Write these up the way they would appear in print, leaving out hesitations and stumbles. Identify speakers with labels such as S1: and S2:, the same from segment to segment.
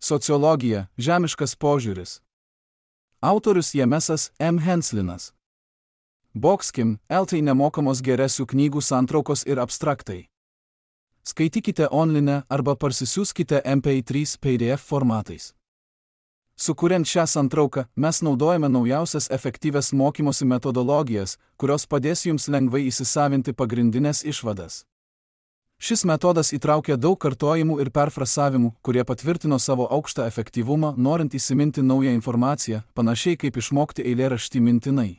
S1: Sociologija – žemiškas požiūris. Autorius Jamesas M. Henslinas. Boxkim, LT nemokamos geresių knygų santraukos ir abstraktai. Skaitykite online arba parsisiųskite MP3 PDF formatais. Sukuriant šią santrauką, mes naudojame naujausias efektyvias mokymosi metodologijas, kurios padės jums lengvai įsisavinti pagrindinės išvadas. Šis metodas įtraukia daug kartojimų ir perfrasavimų, kurie patvirtino savo aukštą efektyvumą, norint įsiminti naują informaciją, panašiai kaip išmokti eilėraštį mintinai.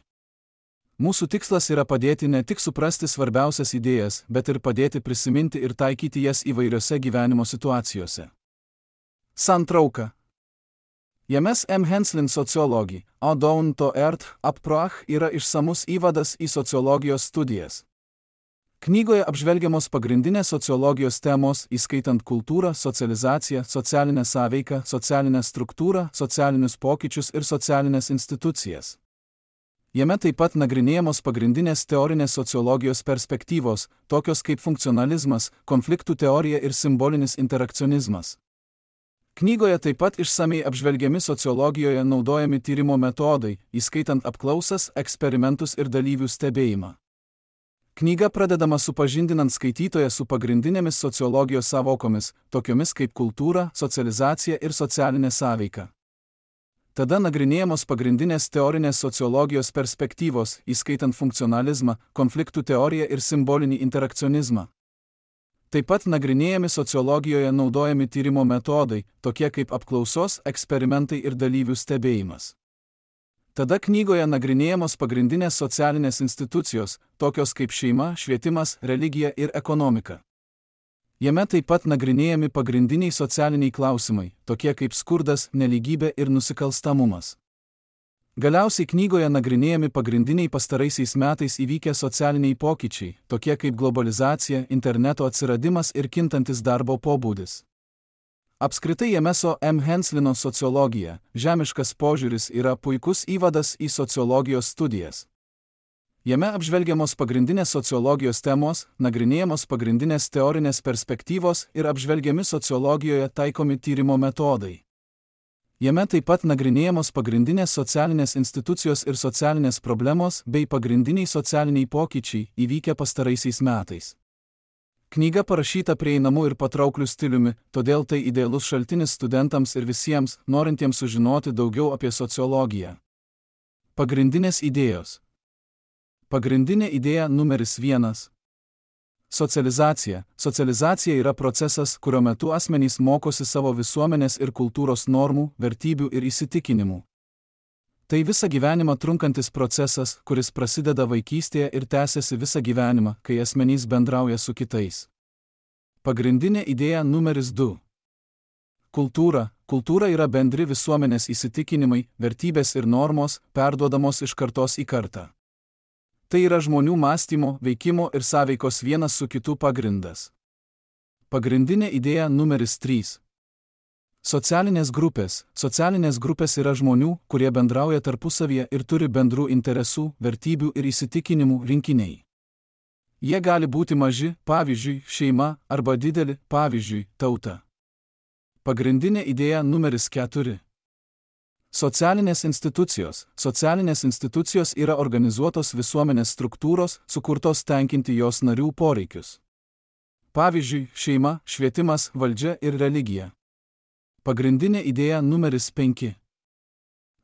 S1: Mūsų tikslas yra padėti ne tik suprasti svarbiausias idėjas, bet ir padėti prisiminti ir taikyti jas įvairiose gyvenimo situacijose. Santrauka. James M. Henslin sociologija, Down to Earth Approach yra išsamus įvadas į sociologijos studijas. Knygoje apžvelgiamos pagrindinės sociologijos temos, įskaitant kultūrą, socializaciją, socialinę sąveiką, socialinę struktūrą, socialinius pokyčius ir socialinės institucijas. Jame taip pat nagrinėjamos pagrindinės teorinės sociologijos perspektyvos, tokios kaip funkcionalizmas, konfliktų teorija ir simbolinis interakcionizmas. Knygoje taip pat išsamiai apžvelgiami sociologijoje naudojami tyrimo metodai, įskaitant apklausas, eksperimentus ir dalyvių stebėjimą. Knyga pradedama supažindinant skaitytoją su pagrindinėmis sociologijos sąvokomis, tokiomis kaip kultūra, socializacija ir socialinė sąveika. Tada nagrinėjamos pagrindinės teorinės sociologijos perspektyvos, įskaitant funkcionalizmą, konfliktų teoriją ir simbolinį interakcionizmą. Taip pat nagrinėjami sociologijoje naudojami tyrimo metodai, tokie kaip apklausos, eksperimentai ir dalyvių stebėjimas. Tada knygoje nagrinėjamos pagrindinės socialinės institucijos, tokios kaip šeima, švietimas, religija ir ekonomika. Jame taip pat nagrinėjami pagrindiniai socialiniai klausimai, tokie kaip skurdas, nelygybė ir nusikalstamumas. Galiausiai knygoje nagrinėjami pagrindiniai pastaraisiais metais įvykę socialiniai pokyčiai, tokie kaip globalizacija, interneto atsiradimas ir kintantis darbo pobūdis. Apskritai Jameso M. Henslino sociologija, žemiškas požiūris yra puikus įvadas į sociologijos studijas. Jame apžvelgiamos pagrindinės sociologijos temos, nagrinėjamos pagrindinės teorinės perspektyvos ir apžvelgiami sociologijoje taikomi tyrimo metodai. Jame taip pat nagrinėjamos pagrindinės socialinės institucijos ir socialinės problemos bei pagrindiniai socialiniai pokyčiai įvykę pastaraisiais metais. Knyga parašyta prieinamu ir patraukliu stiliumi, todėl tai idealus šaltinis studentams ir visiems, norintiems sužinoti daugiau apie sociologiją. Pagrindinės idėjos. Pagrindinė idėja numeris 1. Socializacija. Socializacija yra procesas, kurio metu asmenys mokosi savo visuomenės ir kultūros normų, vertybių ir įsitikinimų. Tai visą gyvenimą trunkantis procesas, kuris prasideda vaikystėje ir tęsiasi visą gyvenimą, kai asmenys bendrauja su kitais. Pagrindinė idėja numeris 2. Kultūra. Kultūra yra bendri visuomenės įsitikinimai, vertybės ir normos, perduodamos iš kartos į kartą. Tai yra žmonių mąstymo, veikimo ir sąveikos vienas su kitu pagrindas. Pagrindinė idėja numeris 3. Socialinės grupės. Socialinės grupės yra žmonių, kurie bendrauja tarpusavyje ir turi bendrų interesų, vertybių ir įsitikinimų rinkiniai. Jie gali būti maži, pavyzdžiui, šeima, arba dideli, pavyzdžiui, tauta. Pagrindinė idėja numeris 4. Socialinės institucijos. Socialinės institucijos yra organizuotos visuomenės struktūros, sukurtos tenkinti jos narių poreikius. Pavyzdžiui, šeima, švietimas, valdžia ir religija. Pagrindinė idėja numeris 5.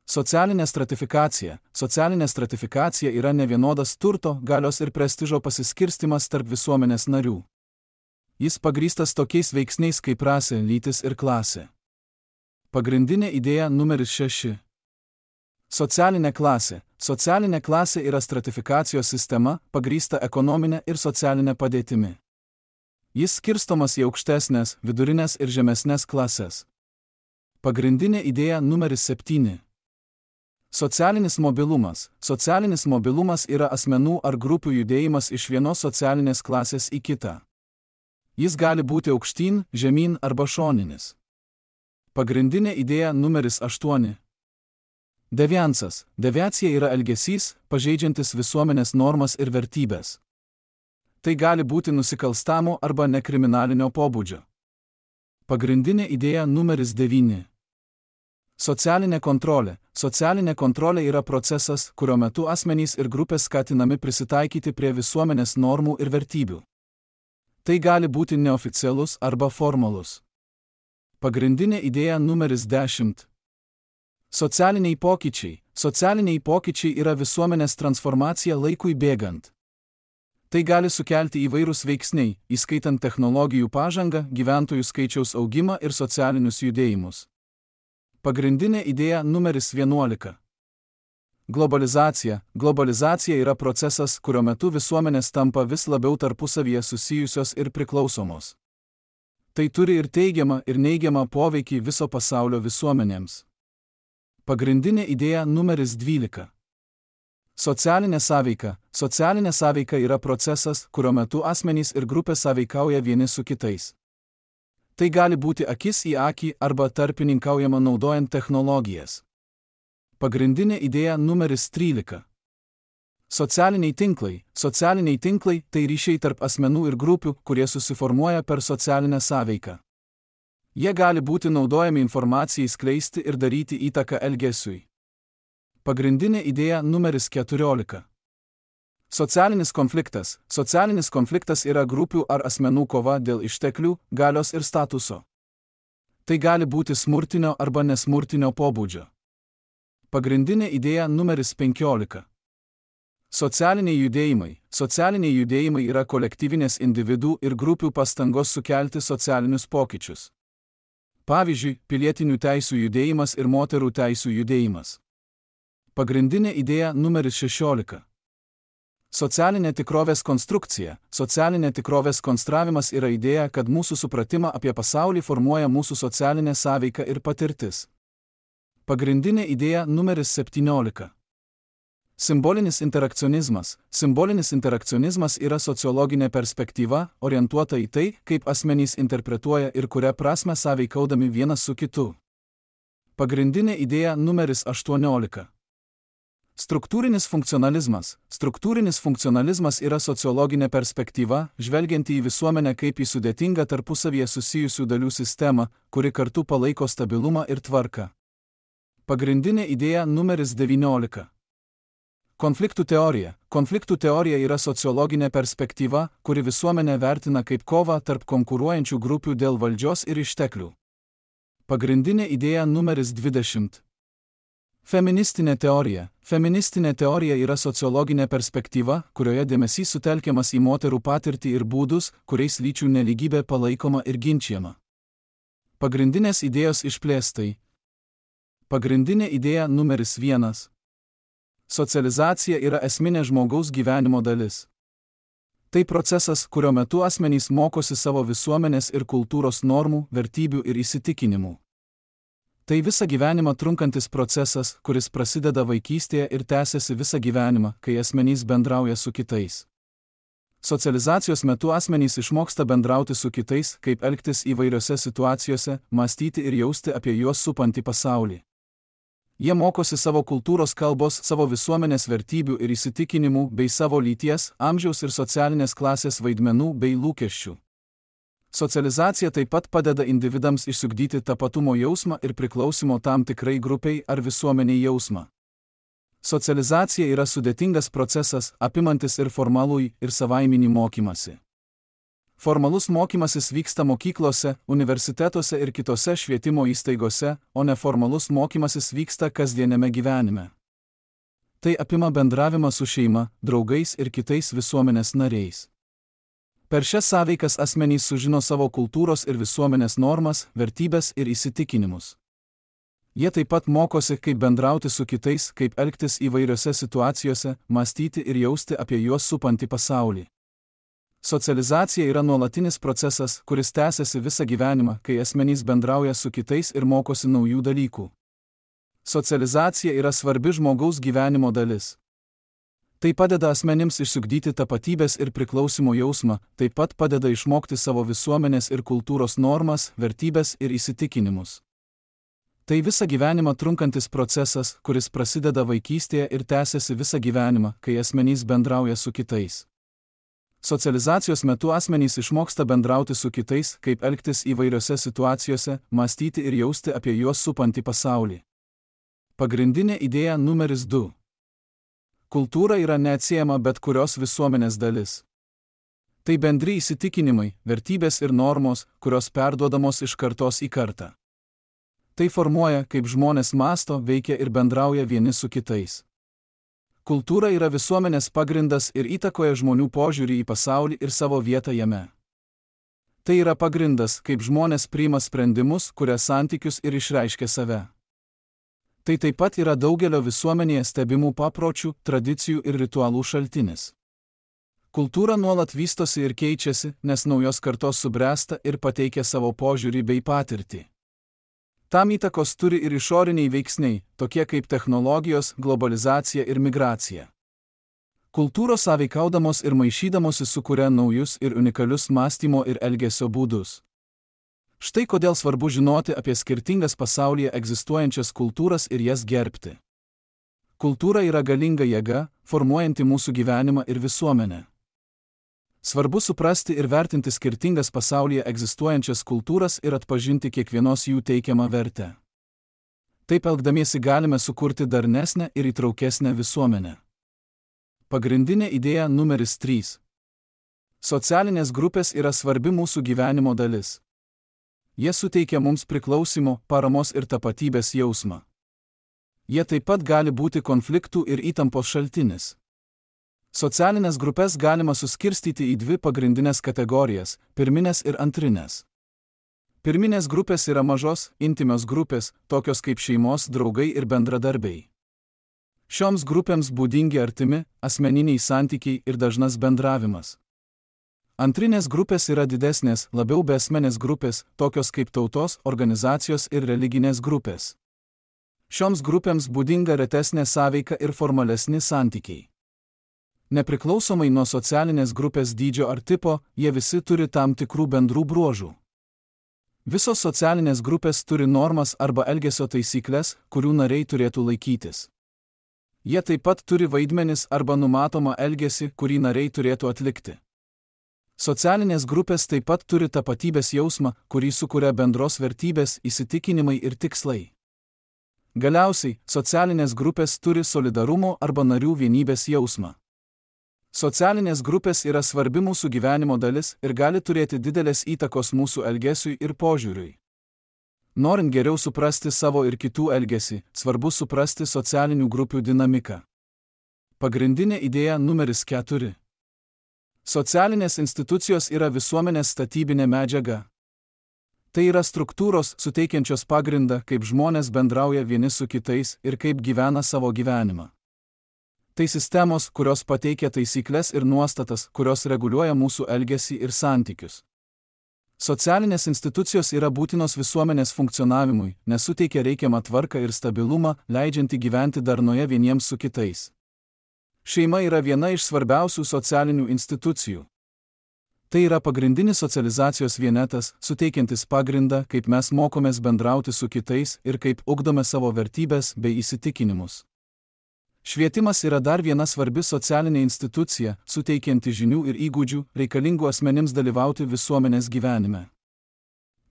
S1: Socialinė stratifikacija. Socialinė stratifikacija yra nevienodas turto, galios ir prestižo pasiskirstimas tarp visuomenės narių. Jis pagrįstas tokiais veiksniais kaip rasė, lytis ir klasė. Pagrindinė idėja numeris 6. Socialinė klasė. Socialinė klasė yra stratifikacijos sistema, pagrįsta ekonominė ir socialinė padėtimi. Jis skirstomas į aukštesnės, vidurinės ir žemesnės klases. Pagrindinė idėja numeris 7. Socialinis mobilumas. Socialinis mobilumas yra asmenų ar grupių judėjimas iš vienos socialinės klasės į kitą. Jis gali būti aukštyn, žemyn arba šoninis. Pagrindinė idėja numeris 8. Deviansas. Deviacija yra elgesys, pažeidžiantis visuomenės normas ir vertybės. Tai gali būti nusikalstamo arba nekriminalinio pobūdžio. Pagrindinė idėja numeris 9. Socialinė kontrolė. Socialinė kontrolė yra procesas, kurio metu asmenys ir grupės skatinami prisitaikyti prie visuomenės normų ir vertybių. Tai gali būti neoficialus arba formalus. Pagrindinė idėja numeris 10. Socialiniai pokyčiai. Socialiniai pokyčiai yra visuomenės transformacija laikui bėgant. Tai gali sukelti įvairūs veiksniai, įskaitant technologijų pažangą, gyventojų skaičiaus augimą ir socialinius judėjimus. Pagrindinė idėja numeris 11. Globalizacija. Globalizacija yra procesas, kurio metu visuomenės tampa vis labiau tarpusavyje susijusios ir priklausomos. Tai turi ir teigiamą, ir neigiamą poveikį viso pasaulio visuomenėms. Pagrindinė idėja numeris 12. Socialinė sąveika. Socialinė sąveika yra procesas, kurio metu asmenys ir grupės sąveikauja vieni su kitais. Tai gali būti akis į akį arba tarpininkaujama naudojant technologijas. Pagrindinė idėja numeris 13. Socialiniai tinklai. Socialiniai tinklai – tai ryšiai tarp asmenų ir grupių, kurie susiformuoja per socialinę sąveiką. Jie gali būti naudojami informacijai skleisti ir daryti įtaką elgesiui. Pagrindinė idėja numeris 14. Socialinis konfliktas. Socialinis konfliktas yra grupių ar asmenų kova dėl išteklių, galios ir statuso. Tai gali būti smurtinio arba nesmurtinio pobūdžio. Pagrindinė idėja numeris 15. Socialiniai judėjimai. Socialiniai judėjimai yra kolektyvinės individų ir grupių pastangos sukelti socialinius pokyčius. Pavyzdžiui, pilietinių teisių judėjimas ir moterų teisių judėjimas. Pagrindinė idėja numeris 16. Socialinė tikrovės konstrukcija. Socialinė tikrovės konstravimas yra idėja, kad mūsų supratimą apie pasaulį formuoja mūsų socialinė sąveika ir patirtis. Pagrindinė idėja numeris 17. Simbolinis interakcionizmas. Simbolinis interakcionizmas yra sociologinė perspektyva, orientuota į tai, kaip asmenys interpretuoja ir kuria prasme sąveikaudami vienas su kitu. Pagrindinė idėja numeris 18. Struktūrinis funkcionalizmas. Struktūrinis funkcionalizmas yra sociologinė perspektyva, žvelgianti į visuomenę kaip į sudėtingą tarpusavyje susijusių dalių sistemą, kuri kartu palaiko stabilumą ir tvarką. Pagrindinė idėja numeris 19. Konfliktų teorija. Konfliktų teorija yra sociologinė perspektyva, kuri visuomenę vertina kaip kovą tarp konkuruojančių grupių dėl valdžios ir išteklių. Pagrindinė idėja numeris 20. Feministinė teorija. Feministinė teorija yra sociologinė perspektyva, kurioje dėmesys sutelkiamas į moterų patirtį ir būdus, kuriais lyčių nelygybė palaikoma ir ginčiama. Pagrindinės idėjos išplėstai. Pagrindinė idėja numeris 1. Socializacija yra esminė žmogaus gyvenimo dalis. Tai procesas, kurio metu asmenys mokosi savo visuomenės ir kultūros normų, vertybių ir įsitikinimų. Tai visą gyvenimą trunkantis procesas, kuris prasideda vaikystėje ir tęsiasi visą gyvenimą, kai asmenys bendrauja su kitais. Socializacijos metu asmenys išmoksta bendrauti su kitais, kaip elgtis įvairiose situacijose, mąstyti ir jausti apie juos supantį pasaulį. Jie mokosi savo kultūros kalbos, savo visuomenės vertybių ir įsitikinimų, bei savo lyties, amžiaus ir socialinės klasės vaidmenų bei lūkesčių. Socializacija taip pat padeda individams išsiugdyti tapatumo jausmą ir priklausimo tam tikrai grupiai ar visuomeniai jausmą. Socializacija yra sudėtingas procesas, apimantis ir formalųjį, ir savaiminį mokymasi. Formalus mokymasis vyksta mokyklose, universitetuose ir kitose švietimo įstaigose, o neformalus mokymasis vyksta kasdieniame gyvenime. Tai apima bendravimą su šeima, draugais ir kitais visuomenės nariais. Per šias sąveikas asmenys sužino savo kultūros ir visuomenės normas, vertybes ir įsitikinimus. Jie taip pat mokosi, kaip bendrauti su kitais, kaip elgtis įvairiose situacijose, mąstyti ir jausti apie juos supantį pasaulį. Socializacija yra nuolatinis procesas, kuris tęsiasi visą gyvenimą, kai asmenys bendrauja su kitais ir mokosi naujų dalykų. Socializacija yra svarbi žmogaus gyvenimo dalis. Tai padeda asmenims išsiugdyti tapatybės ir priklausimo jausmą, taip pat padeda išmokti savo visuomenės ir kultūros normas, vertybės ir įsitikinimus. Tai visą gyvenimą trunkantis procesas, kuris prasideda vaikystėje ir tęsiasi visą gyvenimą, kai asmenys bendrauja su kitais. Socializacijos metu asmenys išmoksta bendrauti su kitais, kaip elgtis įvairiose situacijose, mąstyti ir jausti apie juos supantį pasaulį. Pagrindinė idėja numeris 2. Kultūra yra neatsiejama bet kurios visuomenės dalis. Tai bendri įsitikinimai, vertybės ir normos, kurios perduodamos iš kartos į kartą. Tai formuoja, kaip žmonės mąsto, veikia ir bendrauja vieni su kitais. Kultūra yra visuomenės pagrindas ir įtakoja žmonių požiūrį į pasaulį ir savo vietą jame. Tai yra pagrindas, kaip žmonės priima sprendimus, kuria santykius ir išreiškia save. Tai taip pat yra daugelio visuomenėje stebimų papročių, tradicijų ir ritualų šaltinis. Kultūra nuolat vystosi ir keičiasi, nes naujos kartos subręsta ir pateikia savo požiūrį bei patirtį. Tam įtakos turi ir išoriniai veiksniai, tokie kaip technologijos, globalizacija ir migracija. Kultūros sąveikaudamos ir maišydamosi sukuria naujus ir unikalius mąstymo ir elgesio būdus. Štai kodėl svarbu žinoti apie skirtingas pasaulyje egzistuojančias kultūras ir jas gerbti. Kultūra yra galinga jėga, formuojanti mūsų gyvenimą ir visuomenę. Svarbu suprasti ir vertinti skirtingas pasaulyje egzistuojančias kultūras ir atpažinti kiekvienos jų teikiamą vertę. Taip elgdamiesi galime sukurti darnesnę ir įtraukesnę visuomenę. Pagrindinė idėja numeris 3. Socialinės grupės yra svarbi mūsų gyvenimo dalis. Jie suteikia mums priklausimo, paramos ir tapatybės jausmą. Jie taip pat gali būti konfliktų ir įtampos šaltinis. Socialinės grupės galima suskirstyti į 2 pagrindinės kategorijas – pirminės ir antrinės. Pirminės grupės yra mažos, intymios grupės, tokios kaip šeimos, draugai ir bendradarbiai. Šioms grupėms būdingi artimi, asmeniniai santykiai ir dažnas bendravimas. Antrinės grupės yra didesnės, labiau beasmenės grupės, tokios kaip tautos, organizacijos ir religinės grupės. Šioms grupėms būdinga retesnė sąveika ir formalesni santykiai. Nepriklausomai nuo socialinės grupės dydžio ar tipo, jie visi turi tam tikrų bendrų bruožų. Visos socialinės grupės turi normas arba elgesio taisyklės, kurių nariai turėtų laikytis. Jie taip pat turi vaidmenis arba numatomą elgesį, kurį nariai turėtų atlikti. Socialinės grupės taip pat turi tapatybės jausmą, kurį sukuria bendros vertybės, įsitikinimai ir tikslai. Galiausiai, socialinės grupės turi solidarumo arba narių vienybės jausmą. Socialinės grupės yra svarbi mūsų gyvenimo dalis ir gali turėti didelės įtakos mūsų elgesiui ir požiūriui. Norint geriau suprasti savo ir kitų elgesį, svarbu suprasti socialinių grupių dinamiką. Pagrindinė idėja numeris 4. Socialinės institucijos yra visuomenės statybinė medžiaga. Tai yra struktūros, suteikiančios pagrindą, kaip žmonės bendrauja vieni su kitais ir kaip gyvena savo gyvenimą. Tai sistemos, kurios pateikia taisyklės ir nuostatas, kurios reguliuoja mūsų elgesį ir santykius. Socialinės institucijos yra būtinos visuomenės funkcionavimui, nes suteikia reikiamą tvarką ir stabilumą, leidžiantį gyventi darnoje vieniems su kitais. Šeima yra viena iš svarbiausių socialinių institucijų. Tai yra pagrindinis socializacijos vienetas, suteikiantis pagrindą, kaip mes mokomės bendrauti su kitais ir kaip ugdome savo vertybės bei įsitikinimus. Švietimas yra dar viena svarbi socialinė institucija, suteikianti žinių ir įgūdžių, reikalingų asmenims dalyvauti visuomenės gyvenime.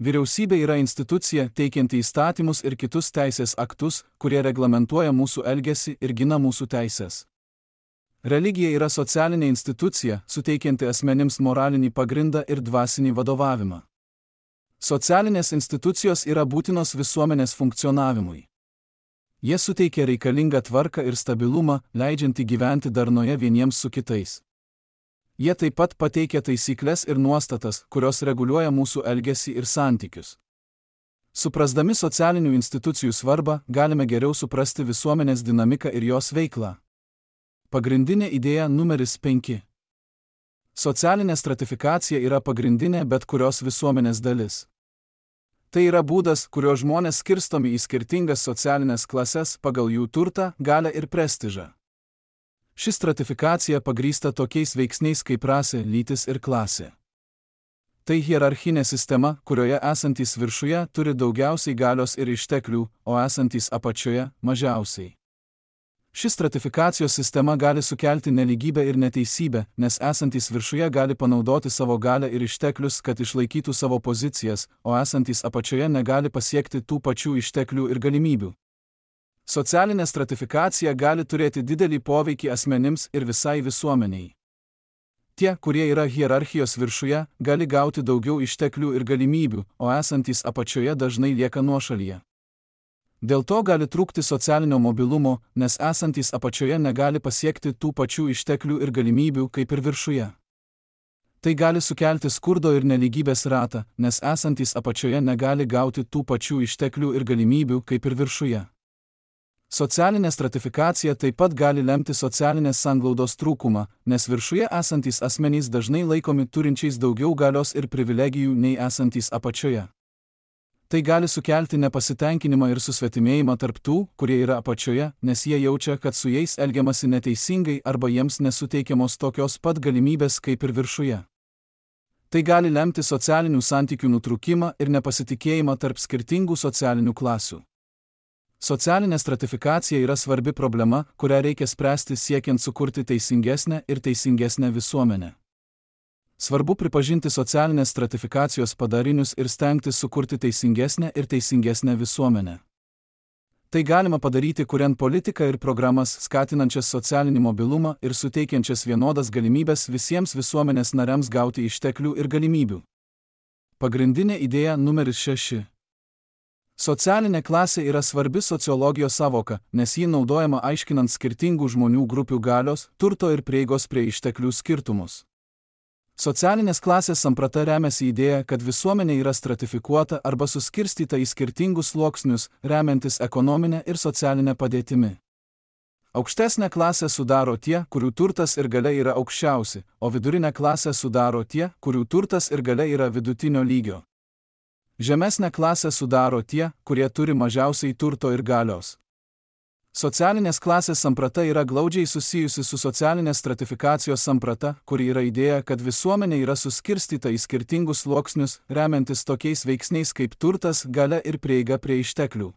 S1: Vyriausybė yra institucija, teikianti įstatymus ir kitus teisės aktus, kurie reglamentuoja mūsų elgesį ir gina mūsų teises. Religija yra socialinė institucija, suteikianti asmenims moralinį pagrindą ir dvasinį vadovavimą. Socialinės institucijos yra būtinos visuomenės funkcionavimui. Jie suteikia reikalingą tvarką ir stabilumą, leidžiantį gyventi darnoje vieniems su kitais. Jie taip pat pateikia taisyklės ir nuostatas, kurios reguliuoja mūsų elgesį ir santykius. Suprasdami socialinių institucijų svarbą, galime geriau suprasti visuomenės dinamiką ir jos veiklą. Pagrindinė idėja numeris 5. Socialinė stratifikacija yra pagrindinė bet kurios visuomenės dalis. Tai yra būdas, kurio žmonės skirstomi į skirtingas socialinės klases pagal jų turtą, galią ir prestižą. Ši stratifikacija pagrįsta tokiais veiksniais kaip rasė, lytis ir klasė. Tai hierarchinė sistema, kurioje esantys viršuje turi daugiausiai galios ir išteklių, o esantys apačioje mažiausiai. Ši stratifikacijos sistema gali sukelti nelygybę ir neteisybę, nes esantys viršuje gali panaudoti savo galią ir išteklius, kad išlaikytų savo pozicijas, o esantys apačioje negali pasiekti tų pačių išteklių ir galimybių. Socialinė stratifikacija gali turėti didelį poveikį asmenims ir visai visuomeniai. Tie, kurie yra hierarchijos viršuje, gali gauti daugiau išteklių ir galimybių, o esantys apačioje dažnai lieka nuošalyje. Dėl to gali trūkti socialinio mobilumo, nes esantys apačioje negali pasiekti tų pačių išteklių ir galimybių kaip ir viršuje. Tai gali sukelti skurdo ir nelygybės ratą, nes esantys apačioje negali gauti tų pačių išteklių ir galimybių kaip ir viršuje. Socialinė stratifikacija taip pat gali lemti socialinės sanglaudos trūkumą, nes viršuje esantys asmenys dažnai laikomi turinčiais daugiau galios ir privilegijų nei esantys apačioje. Tai gali sukelti nepasitenkinimą ir susvetimėjimą tarp tų, kurie yra apačioje, nes jie jaučia, kad su jais elgiamasi neteisingai arba jiems nesuteikiamos tokios pat galimybės kaip ir viršuje. Tai gali lemti socialinių santykių nutrūkimą ir nepasitikėjimą tarp skirtingų socialinių klasių. Socialinė stratifikacija yra svarbi problema, kurią reikia spręsti siekiant sukurti teisingesnę ir teisingesnę visuomenę. Svarbu pripažinti socialinės stratifikacijos padarinius ir stengtis sukurti teisingesnę ir teisingesnę visuomenę. Tai galima padaryti kuriant politiką ir programas skatinančias socialinį mobilumą ir suteikiančias vienodas galimybės visiems visuomenės nariams gauti išteklių ir galimybių. Pagrindinė idėja numeris 6. Socialinė klasė yra svarbi sociologijos sąvoka, nes ji naudojama aiškinant skirtingų žmonių grupių galios, turto ir prieigos prie išteklių skirtumus. Socialinės klasės samprata remiasi idėja, kad visuomenė yra stratifikuota arba suskirstyta į skirtingus sluoksnius, remiantis ekonominę ir socialinę padėtimi. Aukštesnę klasę sudaro tie, kurių turtas ir galia yra aukščiausi, o vidurinę klasę sudaro tie, kurių turtas ir galia yra vidutinio lygio. Žemesnę klasę sudaro tie, kurie turi mažiausiai turto ir galios. Socialinės klasės samprata yra glaudžiai susijusi su socialinės stratifikacijos samprata, kuri yra idėja, kad visuomenė yra suskirstyta į skirtingus sluoksnius, remiantis tokiais veiksniais kaip turtas, galia ir prieiga prie išteklių.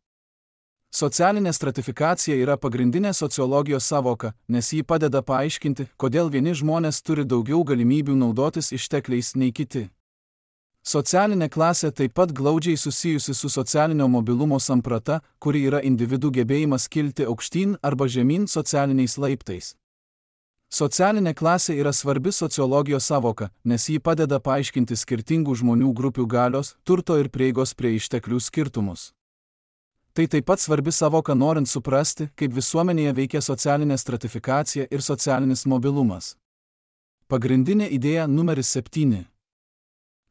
S1: Socialinė stratifikacija yra pagrindinė sociologijos sąvoka, nes ji padeda paaiškinti, kodėl vieni žmonės turi daugiau galimybių naudotis ištekliais nei kiti. Socialinė klasė taip pat glaudžiai susijusi su socialinio mobilumo samprata, kuri yra individų gebėjimas kilti aukštyn arba žemyn socialiniais laiptais. Socialinė klasė yra svarbi sociologijos sąvoka, nes ji padeda paaiškinti skirtingų žmonių grupių galios, turto ir prieigos prie išteklių skirtumus. Tai taip pat svarbi sąvoka norint suprasti, kaip visuomenėje veikia socialinė stratifikacija ir socialinis mobilumas. Pagrindinė idėja numeris 7.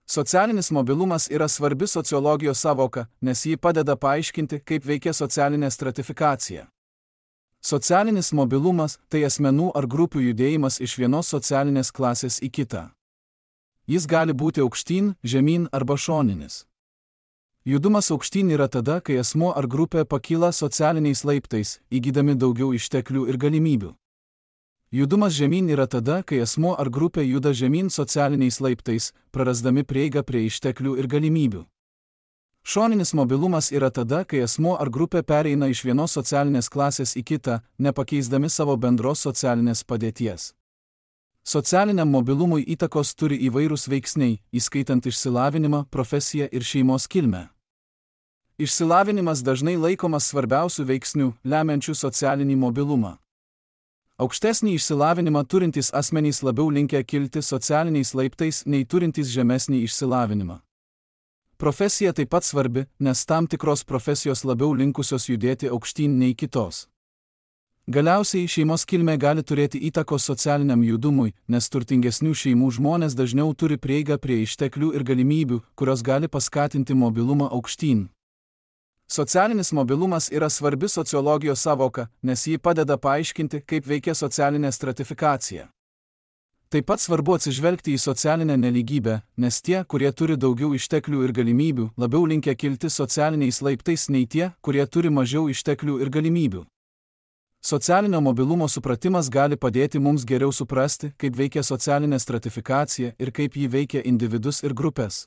S1: Socialinis mobilumas yra svarbi sociologijos sąvoka, nes ji padeda paaiškinti, kaip veikia socialinė stratifikacija. Socialinis mobilumas – tai asmenų ar grupių judėjimas iš vienos socialinės klasės į kitą. Jis gali būti aukštyn, žemyn arba šoninis. Judumas aukštyn yra tada, kai asmuo ar grupė pakyla socialiniais laiptais, įgydami daugiau išteklių ir galimybių. Judumas žemyn yra tada, kai asmuo ar grupė juda žemyn socialiniais laiptais, prarasdami prieigą prie išteklių ir galimybių. Šoninis mobilumas yra tada, kai asmuo ar grupė pereina iš vienos socialinės klasės į kitą, nepakeisdami savo bendros socialinės padėties. Socialiniam mobilumui įtakos turi įvairūs veiksniai, įskaitant išsilavinimą, profesiją ir šeimos kilmę. Išsilavinimas dažnai laikomas svarbiausių veiksnių, lemiančių socialinį mobilumą. Aukštesnį išsilavinimą turintys asmenys labiau linkę kilti socialiniais laiptais nei turintys žemesnį išsilavinimą. Profesija taip pat svarbi, nes tam tikros profesijos labiau linkusios judėti aukštyn nei kitos. Galiausiai šeimos kilmė gali turėti įtakos socialiniam judumui, nes turtingesnių šeimų žmonės dažniau turi prieigą prie išteklių ir galimybių, kurios gali paskatinti mobilumą aukštyn. Socialinis mobilumas yra svarbi sociologijos sąvoka, nes ji padeda paaiškinti, kaip veikia socialinė stratifikacija. Taip pat svarbu atsižvelgti į socialinę nelygybę, nes tie, kurie turi daugiau išteklių ir galimybių, labiau linkę kilti socialiniais laiptais nei tie, kurie turi mažiau išteklių ir galimybių. Socialinio mobilumo supratimas gali padėti mums geriau suprasti, kaip veikia socialinė stratifikacija ir kaip ji veikia individus ir grupės.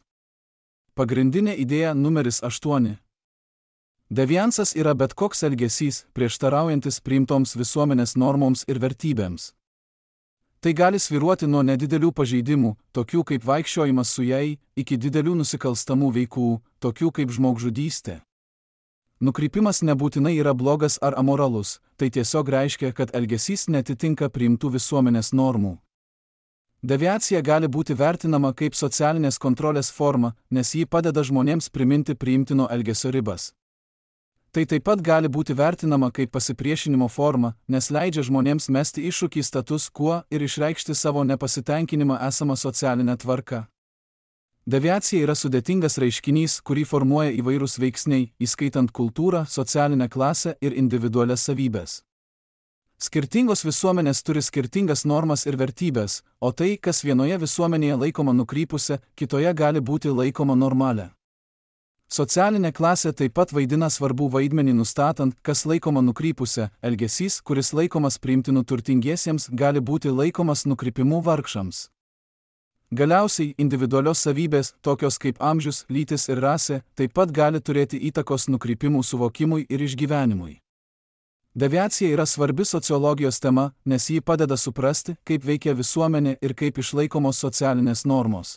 S1: Pagrindinė idėja numeris 8. Deviansas yra bet koks elgesys, prieštaraujantis priimtoms visuomenės normoms ir vertybėms. Tai gali svyruoti nuo nedidelių pažeidimų, tokių kaip vaikščiojimas su jai, iki didelių nusikalstamų veikų, tokių kaip žmogžudystė. Nukrypimas nebūtinai yra blogas ar amoralus, tai tiesiog reiškia, kad elgesys netitinka priimtų visuomenės normų. Deviacija gali būti vertinama kaip socialinės kontrolės forma, nes ji padeda žmonėms priminti priimtino elgesio ribas. Tai taip pat gali būti vertinama kaip pasipriešinimo forma, nes leidžia žmonėms mesti iššūkį status quo ir išreikšti savo nepasitenkinimą esamą socialinę tvarką. Deviacija yra sudėtingas reiškinys, kurį formuoja įvairūs veiksniai, įskaitant kultūrą, socialinę klasę ir individualias savybes. Skirtingos visuomenės turi skirtingas normas ir vertybės, o tai, kas vienoje visuomenėje laikoma nukrypusia, kitoje gali būti laikoma normalia. Socialinė klasė taip pat vaidina svarbų vaidmenį nustatant, kas laikoma nukrypusia, elgesys, kuris laikomas priimtinu turtingiesiems, gali būti laikomas nukrypimu vargšams. Galiausiai, individualios savybės, tokios kaip amžius, lytis ir rasė, taip pat gali turėti įtakos nukrypimų suvokimui ir išgyvenimui. Deviacija yra svarbi sociologijos tema, nes ji padeda suprasti, kaip veikia visuomenė ir kaip išlaikomos socialinės normos.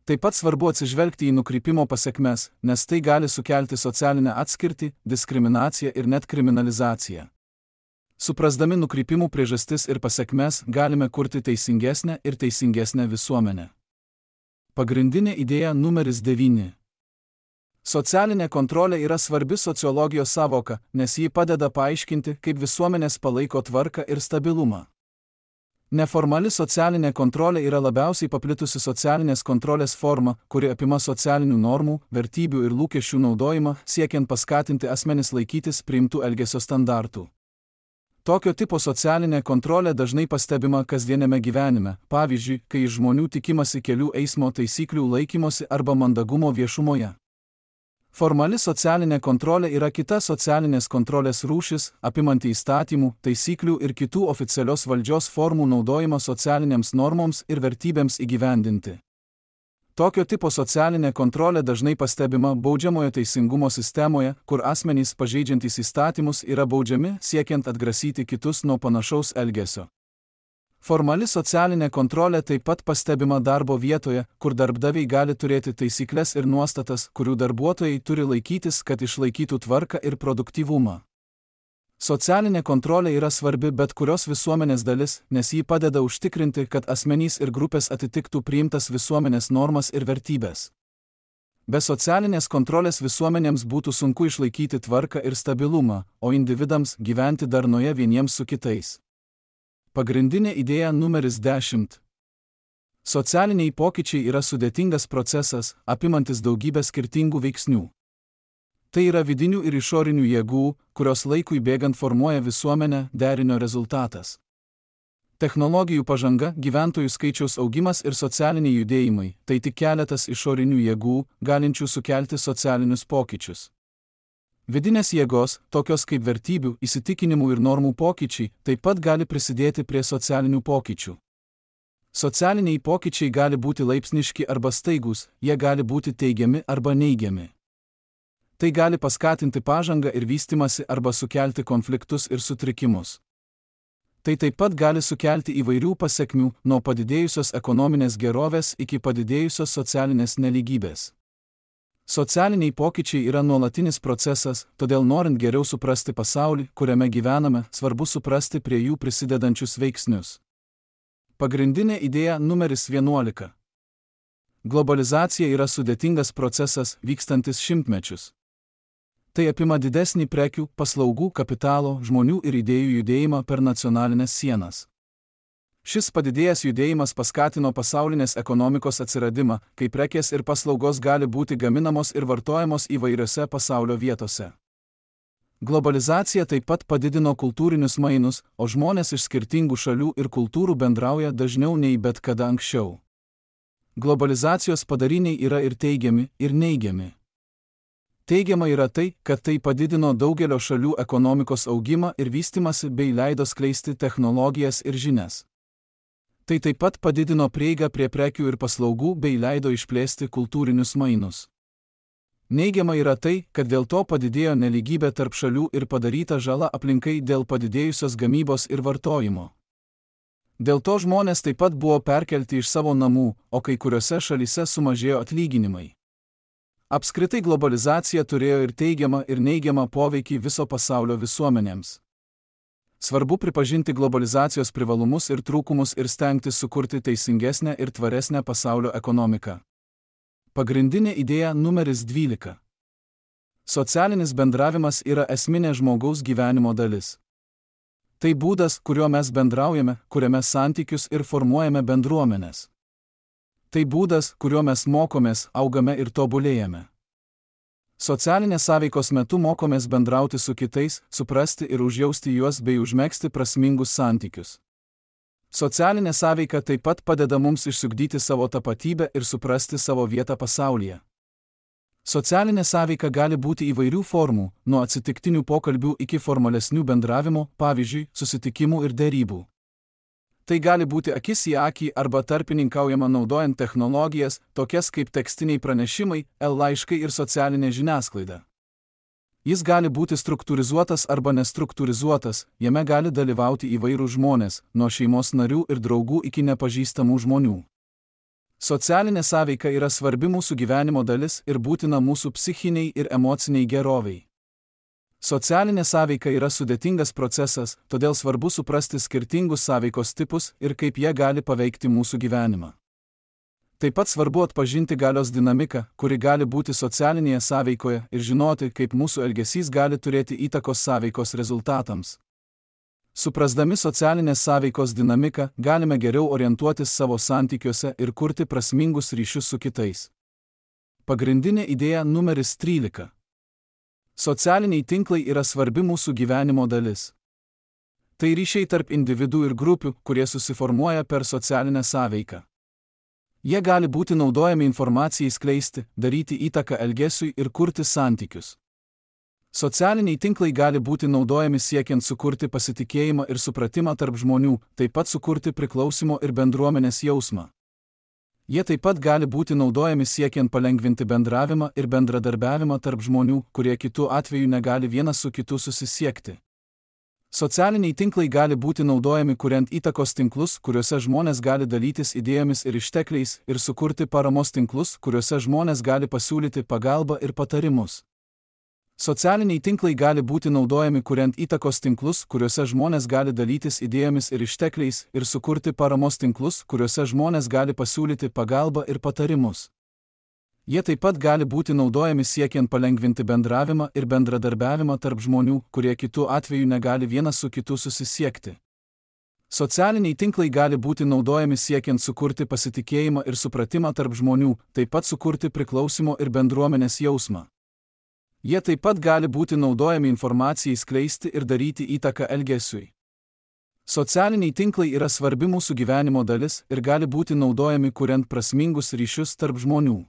S1: Taip pat svarbu atsižvelgti į nukrypimo pasekmes, nes tai gali sukelti socialinę atskirtį, diskriminaciją ir net kriminalizaciją. Suprasdami nukrypimų priežastis ir pasekmes, galime kurti teisingesnę visuomenę. Pagrindinė idėja numeris 9. Socialinė kontrolė yra svarbi sociologijos savoka, nes ji padeda paaiškinti, kaip visuomenės palaiko tvarką ir stabilumą. Neformali socialinė kontrolė yra labiausiai paplitusi socialinės kontrolės forma, kuri apima socialinių normų, vertybių ir lūkesčių naudojimą, siekiant paskatinti asmenis laikytis priimtų elgesio standartų. Tokio tipo socialinė kontrolė dažnai pastebima kasdieniame gyvenime, pavyzdžiui, kai iš žmonių tikimasi kelių eismo taisyklių laikymosi arba mandagumo viešumoje. Formali socialinė kontrolė yra kita socialinės kontrolės rūšis, apimanti įstatymų, taisyklių ir kitų oficialios valdžios formų naudojimą socialinėms normoms ir vertybėms įgyvendinti. Tokio tipo socialinė kontrolė dažnai pastebima baudžiamojo teisingumo sistemoje, kur asmenys pažeidžiantys įstatymus yra baudžiami, siekiant atgrasyti kitus nuo panašaus elgesio. Formali socialinė kontrolė taip pat pastebima darbo vietoje, kur darbdaviai gali turėti taisykles ir nuostatas, kurių darbuotojai turi laikytis, kad išlaikytų tvarką ir produktyvumą. Socialinė kontrolė yra svarbi bet kurios visuomenės dalis, nes ji padeda užtikrinti, kad asmenys ir grupės atitiktų priimtas visuomenės normas ir vertybės. Be socialinės kontrolės visuomenėms būtų sunku išlaikyti tvarką ir stabilumą, o individams gyventi darnoje vieniems su kitais. Pagrindinė idėja numeris 10. Socialiniai pokyčiai yra sudėtingas procesas, apimantis daugybę skirtingų veiksnių. Tai yra vidinių ir išorinių jėgų, kurios laikui bėgant formuoja visuomenę, derinio rezultatas. Technologijų pažanga, gyventojų skaičiaus augimas ir socialiniai judėjimai – tai tik keletas išorinių jėgų, galinčių sukelti socialinius pokyčius. Vidinės jėgos, tokios kaip vertybių, įsitikinimų ir normų pokyčiai, taip pat gali prisidėti prie socialinių pokyčių. Socialiniai pokyčiai gali būti laipsniški arba staigūs, jie gali būti teigiami arba neigiami. Tai gali paskatinti pažangą ir vystymąsi arba sukelti konfliktus ir sutrikimus. Tai taip pat gali sukelti įvairių pasekmių, nuo padidėjusios ekonominės gerovės iki padidėjusios socialinės nelygybės. Socialiniai pokyčiai yra nuolatinis procesas, todėl norint geriau suprasti pasaulį, kuriame gyvename, svarbu suprasti prie jų prisidedančius veiksnius. Pagrindinė idėja numeris 11. Globalizacija yra sudėtingas procesas, vykstantis šimtmečius. Tai apima didesnį prekių, paslaugų, kapitalo, žmonių ir idėjų judėjimą per nacionalinės sienas. Šis padidėjęs judėjimas paskatino pasaulinės ekonomikos atsiradimą, kai prekės ir paslaugos gali būti gaminamos ir vartojamos įvairiose pasaulio vietose. Globalizacija taip pat padidino kultūrinius mainus, o žmonės iš skirtingų šalių ir kultūrų bendrauja dažniau nei bet kada anksčiau. Globalizacijos padariniai yra ir teigiami, ir neigiami. Teigiama yra tai, kad tai padidino daugelio šalių ekonomikos augimą ir vystymąsi bei leido skleisti technologijas ir žinias. Tai taip pat padidino prieigą prie prekių ir paslaugų bei leido išplėsti kultūrinius mainus. Neigiama yra tai, kad dėl to padidėjo nelygybė tarp šalių ir padaryta žala aplinkai dėl padidėjusios gamybos ir vartojimo. Dėl to žmonės taip pat buvo perkelti iš savo namų, o kai kuriuose šalyse sumažėjo atlyginimai. Apskritai globalizacija turėjo ir teigiamą ir neigiamą poveikį viso pasaulio visuomenėms. Svarbu pripažinti globalizacijos privalumus ir trūkumus ir stengtis sukurti teisingesnę ir tvaresnę pasaulio ekonomiką. Pagrindinė idėja numeris 12. Socialinis bendravimas yra esminė žmogaus gyvenimo dalis. Tai būdas, kuriuo mes bendraujame, kuriame santykius ir formuojame bendruomenes. Tai būdas, kuriuo mes mokomės, augame ir tobulėjame. Socialinės sąveikos metu mokomės bendrauti su kitais, suprasti ir užjausti juos bei užmegzti prasmingus santykius. Socialinė sąveika taip pat padeda mums išsiugdyti savo tapatybę ir suprasti savo vietą pasaulyje. Socialinė sąveika gali būti įvairių formų, nuo atsitiktinių pokalbių iki formalesnių bendravimo, pavyzdžiui, susitikimų ir derybų. Tai gali būti akis į akį arba tarpininkaujama naudojant technologijas, tokias kaip tekstiniai pranešimai, laiškai ir socialinė žiniasklaida. Jis gali būti struktūrizuotas arba nestruktūrizuotas, jame gali dalyvauti įvairūs žmonės, nuo šeimos narių ir draugų iki nepažįstamų žmonių. Socialinė sąveika yra svarbi mūsų gyvenimo dalis ir būtina mūsų psichiniai ir emociniai gerovei. Socialinė sąveika yra sudėtingas procesas, todėl svarbu suprasti skirtingus sąveikos tipus ir kaip jie gali paveikti mūsų gyvenimą. Taip pat svarbu atpažinti galios dinamiką, kuri gali būti socialinėje sąveikoje ir žinoti, kaip mūsų elgesys gali turėti įtakos sąveikos rezultatams. Suprasdami socialinės sąveikos dinamiką, galime geriau orientuotis savo santykiuose ir kurti prasmingus ryšius su kitais. Pagrindinė idėja numeris 13. Socialiniai tinklai yra svarbi mūsų gyvenimo dalis. Tai ryšiai tarp individų ir grupių, kurie susiformuoja per socialinę sąveiką. Jie gali būti naudojami informacijai skleisti, daryti įtaką elgesiui ir kurti santykius. Socialiniai tinklai gali būti naudojami siekiant sukurti pasitikėjimą ir supratimą tarp žmonių, taip pat sukurti priklausimo ir bendruomenės jausmą. Jie taip pat gali būti naudojami siekiant palengvinti bendravimą ir bendradarbiavimą tarp žmonių, kurie kitu atveju negali vienas su kitu susisiekti. Socialiniai tinklai gali būti naudojami kuriant įtakos tinklus, kuriuose žmonės gali dalytis idėjomis ir ištekliais, ir sukurti paramos tinklus, kuriuose žmonės gali pasiūlyti pagalbą ir patarimus. Socialiniai tinklai gali būti naudojami kuriant įtakos tinklus, kuriuose žmonės gali dalytis idėjomis ir ištekliais, ir sukurti paramos tinklus, kuriuose žmonės gali pasiūlyti pagalbą ir patarimus. Jie taip pat gali būti naudojami siekiant palengvinti bendravimą ir bendradarbiavimą tarp žmonių, kurie kitu atveju negali vienas su kitu susisiekti. Socialiniai tinklai gali būti naudojami siekiant sukurti pasitikėjimą ir supratimą tarp žmonių, taip pat sukurti priklausimo ir bendruomenės jausmą. Jie taip pat gali būti naudojami informacijai skleisti ir daryti įtaką elgesiui. Socialiniai tinklai yra svarbi mūsų gyvenimo dalis ir gali būti naudojami kuriant prasmingus ryšius tarp žmonių.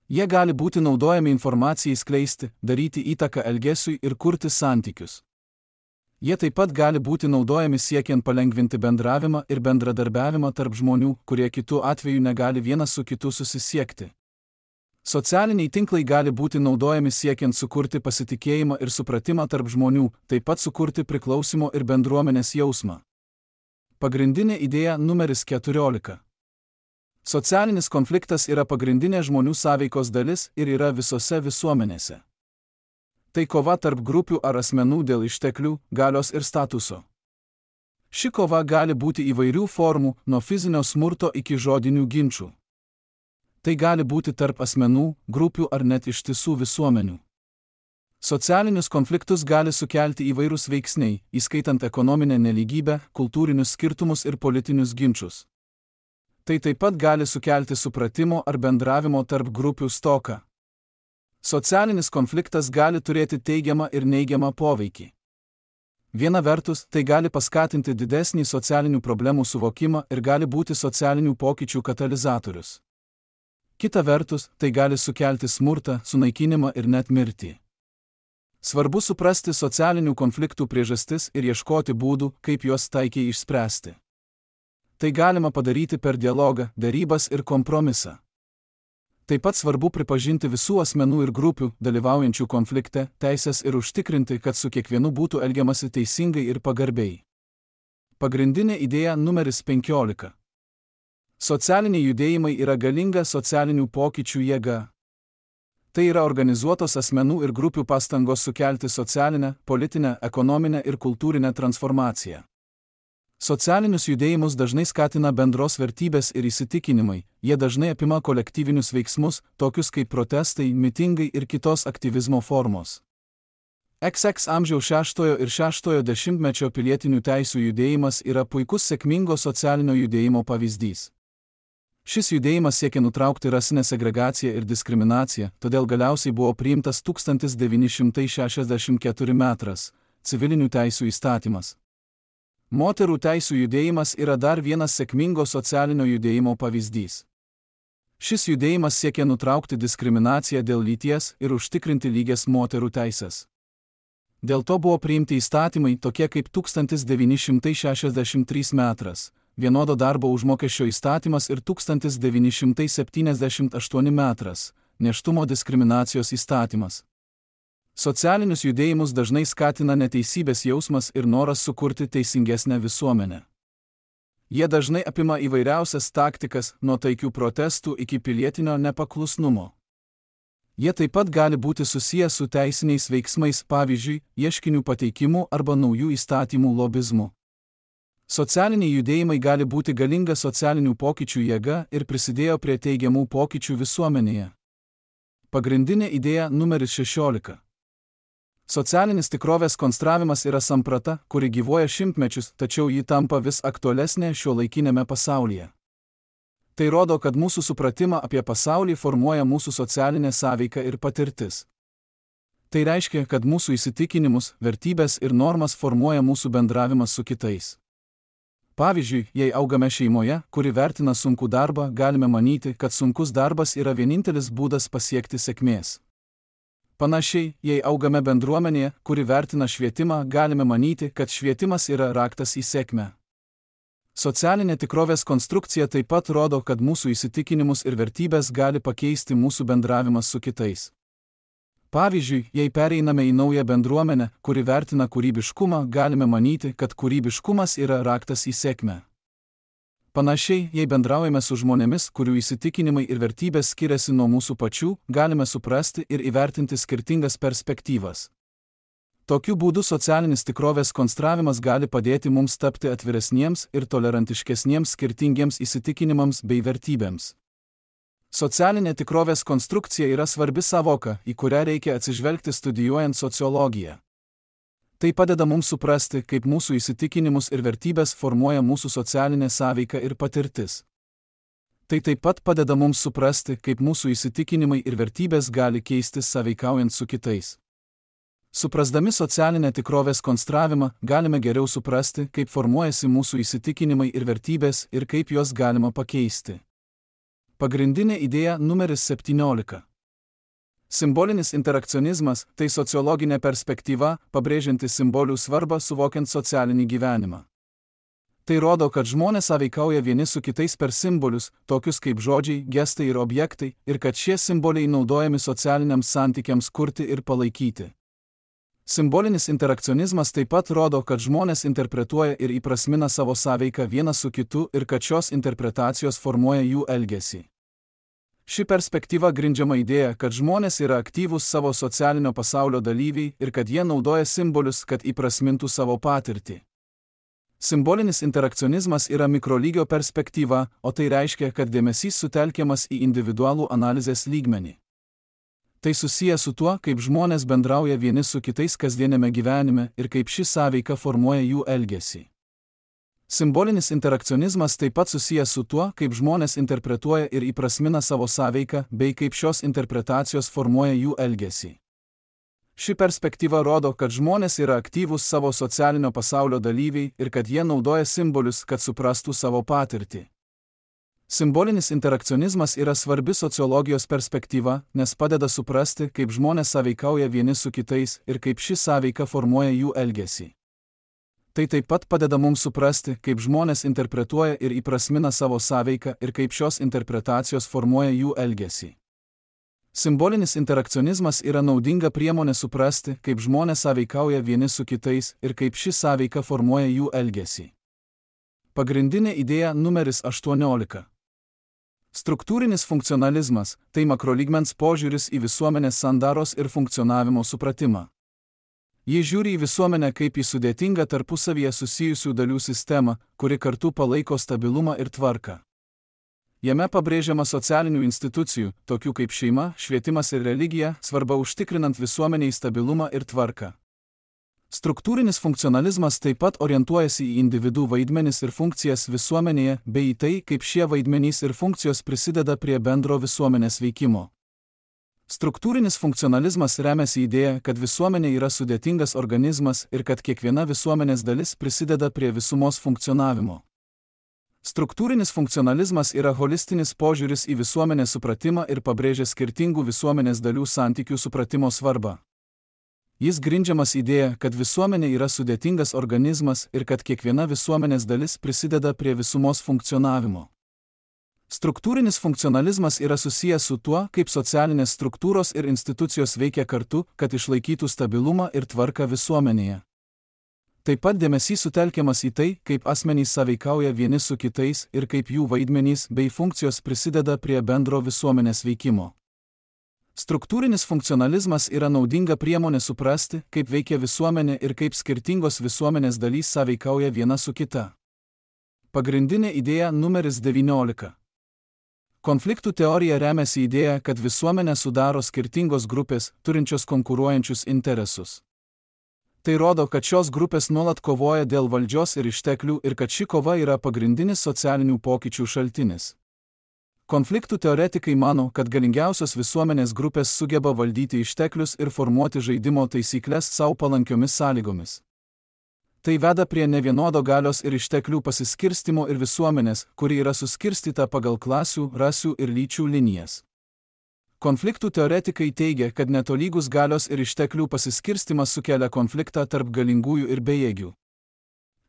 S1: Jie gali būti naudojami informacijai skleisti, daryti įtaką elgesiui ir kurti santykius. Jie taip pat gali būti naudojami siekiant palengvinti bendravimą ir bendradarbiavimą tarp žmonių, kurie kitu atveju negali vienas su kitu susisiekti. Socialiniai tinklai gali būti naudojami siekiant sukurti pasitikėjimą ir supratimą tarp žmonių, taip pat sukurti priklausimo ir bendruomenės jausmą. Pagrindinė idėja numeris 14. Socialinis konfliktas yra pagrindinė žmonių sąveikos dalis ir yra visose visuomenėse. Tai kova tarp grupių ar asmenų dėl išteklių, galios ir statuso. Ši kova gali būti įvairių formų, nuo fizinio smurto iki žodinių ginčų. Tai gali būti tarp asmenų, grupių ar net ištisų visuomenių. Socialinius konfliktus gali sukelti įvairūs veiksniai, įskaitant ekonominę nelygybę, kultūrinius skirtumus ir politinius ginčus. Tai taip pat gali sukelti supratimo ar bendravimo tarp grupių stoką. Socialinis konfliktas gali turėti teigiamą ir neigiamą poveikį. Viena vertus, tai gali paskatinti didesnį socialinių problemų suvokimą ir gali būti socialinių pokyčių katalizatorius. Kita vertus, tai gali sukelti smurtą, sunaikinimą ir net mirtį. Svarbu suprasti socialinių konfliktų priežastis ir ieškoti būdų, kaip juos taikiai išspręsti. Tai galima padaryti per dialogą, derybas ir kompromisą. Taip pat svarbu pripažinti visų asmenų ir grupių, dalyvaujančių konflikte, teises ir užtikrinti, kad su kiekvienu būtų elgiamasi teisingai ir pagarbiai. Pagrindinė idėja numeris 15. Socialiniai judėjimai yra galinga socialinių pokyčių jėga. Tai yra organizuotos asmenų ir grupių pastangos sukelti socialinę, politinę, ekonominę ir kultūrinę transformaciją. Socialinius judėjimus dažnai skatina bendros vertybės ir įsitikinimai, jie dažnai apima kolektyvinius veiksmus, tokius kaip protestai, mitingai ir kitos aktyvizmo formos. XX amžiaus 6 ir 6 dešimtmečio pilietinių teisių judėjimas yra puikus sėkmingo socialinio judėjimo pavyzdys. Šis judėjimas siekia nutraukti rasinę segregaciją ir diskriminaciją, todėl galiausiai buvo priimtas 1964 metras civilinių teisių įstatymas. Moterų teisių judėjimas yra dar vienas sėkmingo socialinio judėjimo pavyzdys. Šis judėjimas siekia nutraukti diskriminaciją dėl lyties ir užtikrinti lygias moterų teisės. Dėl to buvo priimti įstatymai tokie kaip 1963 metras vienodo darbo užmokesčio įstatymas ir 1978 metras nėštumo diskriminacijos įstatymas. Socialinius judėjimus dažnai skatina neteisybės jausmas ir noras sukurti teisingesnę visuomenę. Jie dažnai apima įvairiausias taktikas, nuo taikių protestų iki pilietinio nepaklusnumo. Jie taip pat gali būti susiję su teisiniais veiksmais, pavyzdžiui, ieškinių pateikimu arba naujų įstatymų lobizmu. Socialiniai judėjimai gali būti galinga socialinių pokyčių jėga ir prisidėjo prie teigiamų pokyčių visuomenėje. Pagrindinė idėja numeris 16. Socialinis tikrovės konstravimas yra samprata, kuri gyvuoja šimtmečius, tačiau ji tampa vis aktualesnė šiuolaikinėme pasaulyje. Tai rodo, kad mūsų supratimą apie pasaulį formuoja mūsų socialinė sąveika ir patirtis. Tai reiškia, kad mūsų įsitikinimus, vertybės ir normas formuoja mūsų bendravimas su kitais. Pavyzdžiui, jei augame šeimoje, kuri vertina sunkų darbą, galime manyti, kad sunkus darbas yra vienintelis būdas pasiekti sėkmės. Panašiai, jei augame bendruomenėje, kuri vertina švietimą, galime manyti, kad švietimas yra raktas į sėkmę. Socialinė tikrovės konstrukcija taip pat rodo, kad mūsų įsitikinimus ir vertybės gali pakeisti mūsų bendravimas su kitais. Pavyzdžiui, jei pereiname į naują bendruomenę, kuri vertina kūrybiškumą, galime manyti, kad kūrybiškumas yra raktas į sėkmę. Panašiai, jei bendraujame su žmonėmis, kurių įsitikinimai ir vertybės skiriasi nuo mūsų pačių, galime suprasti ir įvertinti skirtingas perspektyvas. Tokiu būdu socialinis tikrovės konstravimas gali padėti mums tapti atviresniems ir tolerantiškesniems skirtingiems įsitikinimams bei vertybėms. Socialinė tikrovės konstrukcija yra svarbi sąvoka, į kurią reikia atsižvelgti studijuojant sociologiją. Tai padeda mums suprasti, kaip mūsų įsitikinimus ir vertybės formuoja mūsų socialinė sąveika ir patirtis. Tai taip pat padeda mums suprasti, kaip mūsų įsitikinimai ir vertybės gali keistis sąveikaujant su kitais. Suprasdami socialinę tikrovės konstravimą, galime geriau suprasti, kaip formuojasi mūsų įsitikinimai ir vertybės ir kaip juos galima pakeisti. Pagrindinė idėja numeris 17. Simbolinis interakcionizmas – tai sociologinė perspektyva, pabrėžianti simbolių svarbą suvokiant socialinį gyvenimą. Tai rodo, kad žmonės sąveikauja vieni su kitais per simbolius, tokius kaip žodžiai, gestai ir objektai, ir kad šie simboliai naudojami socialiniams santykiams kurti ir palaikyti. Simbolinis interakcionizmas taip pat rodo, kad žmonės interpretuoja ir įprasmina savo sąveiką vienas su kitu ir kad šios interpretacijos formuoja jų elgesį. Ši perspektyva grindžiama idėja, kad žmonės yra aktyvūs savo socialinio pasaulio dalyviai ir kad jie naudoja simbolius, kad įprasmintų savo patirtį. Simbolinis interakcionizmas yra mikrolygio perspektyva, o tai reiškia, kad dėmesys sutelkiamas į individualų analizės lygmenį. Tai susiję su tuo, kaip žmonės bendrauja vieni su kitais kasdienėme gyvenime ir kaip ši sąveika formuoja jų elgesį. Simbolinis interakcionizmas taip pat susijęs su tuo, kaip žmonės interpretuoja ir įprasmina savo sąveiką, bei kaip šios interpretacijos formuoja jų elgesį. Ši perspektyva rodo, kad žmonės yra aktyvūs savo socialinio pasaulio dalyviai ir kad jie naudoja simbolius, kad suprastų savo patirtį. Simbolinis interakcionizmas yra svarbi sociologijos perspektyva, nes padeda suprasti, kaip žmonės sąveikauja vieni su kitais ir kaip ši sąveika formuoja jų elgesį. Tai taip pat padeda mums suprasti, kaip žmonės interpretuoja ir įprasmina savo sąveiką ir kaip šios interpretacijos formuoja jų elgesį. Simbolinis interakcionizmas yra naudinga priemonė suprasti, kaip žmonės sąveikauja vieni su kitais ir kaip ši sąveika formuoja jų elgesį. Pagrindinė idėja numeris 18. Struktūrinis funkcionalizmas – tai makrolygmens požiūris į visuomenės sandaros ir funkcionavimo supratimą. Jis žiūri į visuomenę kaip į sudėtingą tarpusavyje susijusių dalių sistemą, kuri kartu palaiko stabilumą ir tvarką. Jame pabrėžiama socialinių institucijų, tokių kaip šeima, švietimas ir religija, svarba užtikrinant visuomeniai stabilumą ir tvarką. Struktūrinis funkcionalizmas taip pat orientuojasi į individų vaidmenis ir funkcijas visuomenėje, bei į tai, kaip šie vaidmenys ir funkcijos prisideda prie bendro visuomenės veikimo. Struktūrinis funkcionalizmas remiasi idėja, kad visuomenė yra sudėtingas organizmas ir kad kiekviena visuomenės dalis prisideda prie visumos funkcionavimo. Struktūrinis funkcionalizmas yra holistinis požiūris į visuomenės supratimą ir pabrėžia skirtingų visuomenės dalių santykių supratimo svarbą. Jis grindžiamas idėja, kad visuomenė yra sudėtingas organizmas ir kad kiekviena visuomenės dalis prisideda prie visumos funkcionavimo. Struktūrinis funkcionalizmas yra susijęs su tuo, kaip socialinės struktūros ir institucijos veikia kartu, kad išlaikytų stabilumą ir tvarką visuomenėje. Taip pat dėmesys sutelkiamas į tai, kaip asmenys sąveikauja vieni su kitais ir kaip jų vaidmenys bei funkcijos prisideda prie bendro visuomenės veikimo. Struktūrinis funkcionalizmas yra naudinga priemonė suprasti, kaip veikia visuomenė ir kaip skirtingos visuomenės dalys sąveikauja viena su kita. Pagrindinė idėja numeris 19. Konfliktų teorija remiasi idėja, kad visuomenę sudaro skirtingos grupės, turinčios konkuruojančius interesus. Tai rodo, kad šios grupės nuolat kovoja dėl valdžios ir išteklių ir kad ši kova yra pagrindinis socialinių pokyčių šaltinis. Konfliktų teoretikai mano, kad galingiausios visuomenės grupės sugeba valdyti išteklius ir formuoti žaidimo taisyklės savo palankiomis sąlygomis. Tai veda prie nevienodo galios ir išteklių pasiskirstimo ir visuomenės, kuri yra suskirstyta pagal klasių, rasių ir lyčių linijas. Konfliktų teoretikai teigia, kad netolygus galios ir išteklių pasiskirstimas sukelia konfliktą tarp galingųjų ir bejėgių.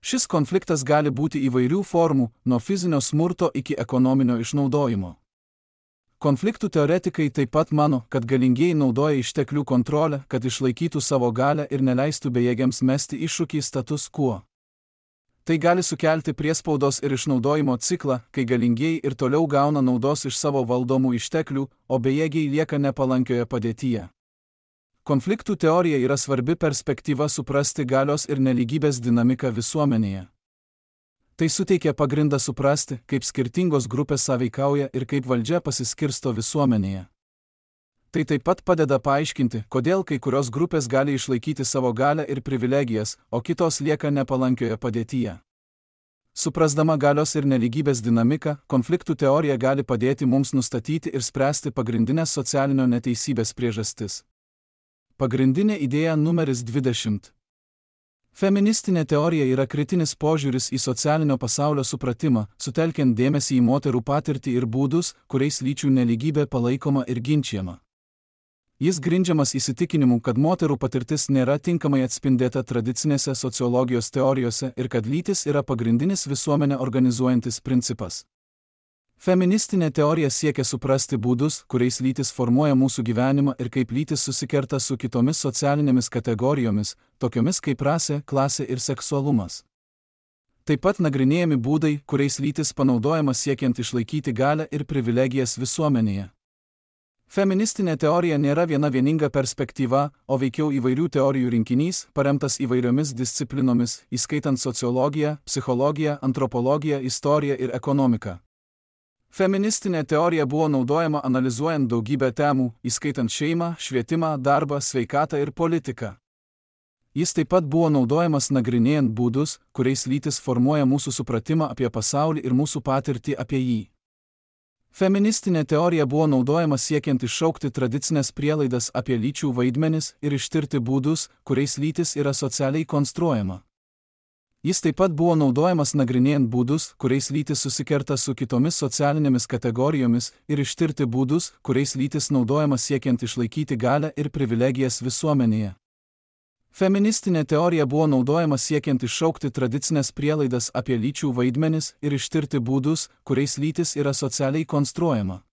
S1: Šis konfliktas gali būti įvairių formų, nuo fizinio smurto iki ekonominio išnaudojimo. Konfliktų teoretikai taip pat mano, kad galingieji naudoja išteklių kontrolę, kad išlaikytų savo galią ir neleistų bejėgiams mesti iššūkį status quo. Tai gali sukelti priespaudos ir išnaudojimo ciklą, kai galingieji ir toliau gauna naudos iš savo valdomų išteklių, o bejėgiai lieka nepalankioje padėtyje. Konfliktų teorija yra svarbi perspektyva suprasti galios ir nelygybės dinamiką visuomenėje. Tai suteikia pagrindą suprasti, kaip skirtingos grupės sąveikauja ir kaip valdžia pasiskirsto visuomenėje. Tai taip pat padeda paaiškinti, kodėl kai kurios grupės gali išlaikyti savo galią ir privilegijas, o kitos lieka nepalankioje padėtyje. Suprasdama galios ir nelygybės dinamiką, konfliktų teorija gali padėti mums nustatyti ir spręsti pagrindinės socialinio neteisybės priežastis. Pagrindinė idėja numeris 20. Feministinė teorija yra kritinis požiūris į socialinio pasaulio supratimą, sutelkiant dėmesį į moterų patirtį ir būdus, kuriais lyčių nelygybė palaikoma ir ginčiama. Jis grindžiamas įsitikinimu, kad moterų patirtis nėra tinkamai atspindėta tradicinėse sociologijos teorijose ir kad lytis yra pagrindinis visuomenę organizuojantis principas. Feministinė teorija siekia suprasti būdus, kuriais lytis formuoja mūsų gyvenimą ir kaip lytis susikerta su kitomis socialinėmis kategorijomis, tokiomis kaip rasė, klasė ir seksualumas. Taip pat nagrinėjami būdai, kuriais lytis panaudojama siekiant išlaikyti galią ir privilegijas visuomenėje. Feministinė teorija nėra viena vieninga perspektyva, o veikiau įvairių teorijų rinkinys, paremtas įvairiomis disciplinomis, įskaitant sociologiją, psichologiją, antropologiją, istoriją ir ekonomiką. Feministinė teorija buvo naudojama analizuojant daugybę temų, įskaitant šeimą, švietimą, darbą, sveikatą ir politiką. Jis taip pat buvo naudojamas nagrinėjant būdus, kuriais lytis formuoja mūsų supratimą apie pasaulį ir mūsų patirtį apie jį. Feministinė teorija buvo naudojama siekiant iššaukti tradicinės prielaidas apie lyčių vaidmenis ir ištirti būdus, kuriais lytis yra socialiai konstruojama. Jis taip pat buvo naudojamas nagrinėjant būdus, kuriais lytis susikerta su kitomis socialinėmis kategorijomis ir ištirti būdus, kuriais lytis naudojama siekiant išlaikyti galią ir privilegijas visuomenėje. Feministinė teorija buvo naudojama siekiant iššaukti tradicinės prielaidas apie lyčių vaidmenis ir ištirti būdus, kuriais lytis yra socialiai konstruojama.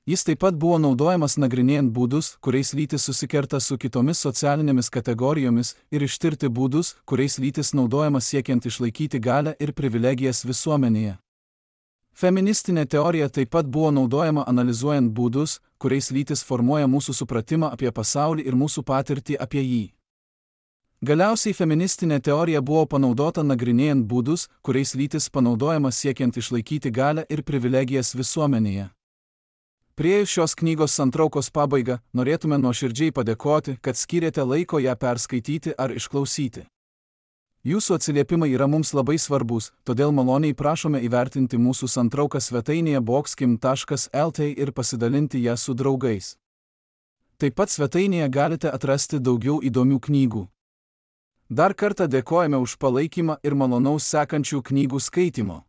S1: Jis taip pat buvo naudojamas nagrinėjant būdus, kuriais lytis susikerta su kitomis socialinėmis kategorijomis ir ištirti būdus, kuriais lytis naudojama siekiant išlaikyti galią ir privilegijas visuomenėje. Feministinė teorija taip pat buvo naudojama analizuojant būdus, kuriais lytis formuoja mūsų supratimą apie pasaulį ir mūsų patirtį apie jį. Galiausiai feministinė teorija buvo panaudota nagrinėjant būdus, kuriais lytis panaudojama siekiant išlaikyti galią ir privilegijas visuomenėje. Priėjus šios knygos santraukos pabaigą, norėtume nuoširdžiai padėkoti, kad skyrėte laiko ją perskaityti ar išklausyti. Jūsų atsiliepimai yra mums labai svarbus, todėl maloniai prašome įvertinti mūsų santrauką svetainėje boxkim.lt ir pasidalinti ją su draugais. Taip pat svetainėje galite atrasti daugiau įdomių knygų. Dar kartą dėkojame už palaikymą ir malonaus sekančių knygų skaitimo.